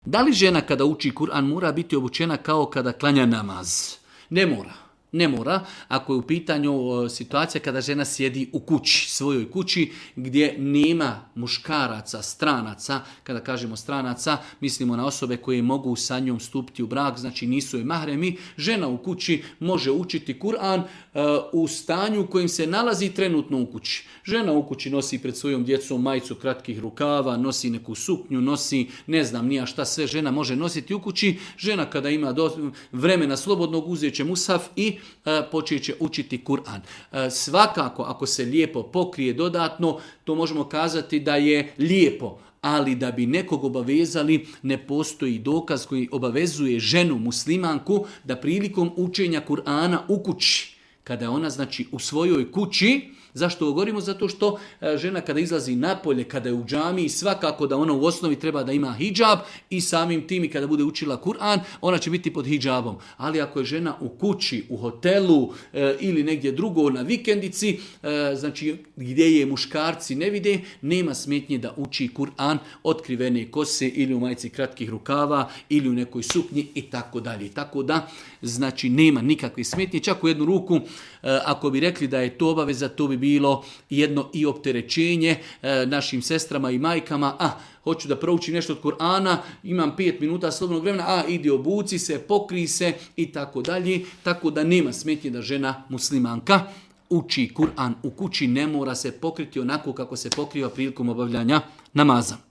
Da li žena kada uči Kur'an mora biti obučena kao kada klanja namaz? Ne mora. Ne mora, ako je u pitanju situacija kada žena sjedi u kući, svojoj kući, gdje nema muškaraca, stranaca. Kada kažemo stranaca, mislimo na osobe koje mogu sa njom stupiti u brak, znači nisu je mahremi. Žena u kući može učiti Kur'an u stanju u kojem se nalazi trenutno u kući. Žena u kući nosi pred svojom djecom majicu kratkih rukava, nosi neku suknju, nosi ne znam nija šta sve žena može nositi u kući. Žena kada ima vremena slobodnog uzet će mushaf i počet će učiti Kur'an. Svakako, ako se lijepo pokrije dodatno, to možemo kazati da je lijepo, ali da bi nekog obavezali, ne postoji dokaz koji obavezuje ženu muslimanku da prilikom učenja Kur'ana u kući, kada je ona znači u svojoj kući. Zašto govorimo? Zato što žena kada izlazi napolje, kada je u džamiji, svakako da ona u osnovi treba da ima hidžab i samim tim i kada bude učila Kur'an, ona će biti pod hidžabom. Ali ako je žena u kući, u hotelu ili negdje drugo na vikendici, znači gdje je muškarci ne vide, nema smetnje da uči Kur'an otkrivene kose ili u majici kratkih rukava ili u nekoj suknji i tako dalje. Tako da, znači nema nikakve smetnje. Čak u jednu ruku, ako bi rekli da je to obaveza, to bi bilo jedno i opterećenje našim sestrama i majkama. Hoću da proučim nešto od Kur'ana, imam 5 minuta slobodnog vremena, idi obuci se, pokri se i tako dalje. Tako da nema smetnje da žena muslimanka uči Kur'an u kući, ne mora se pokriti onako kako se pokriva prilikom obavljanja namaza.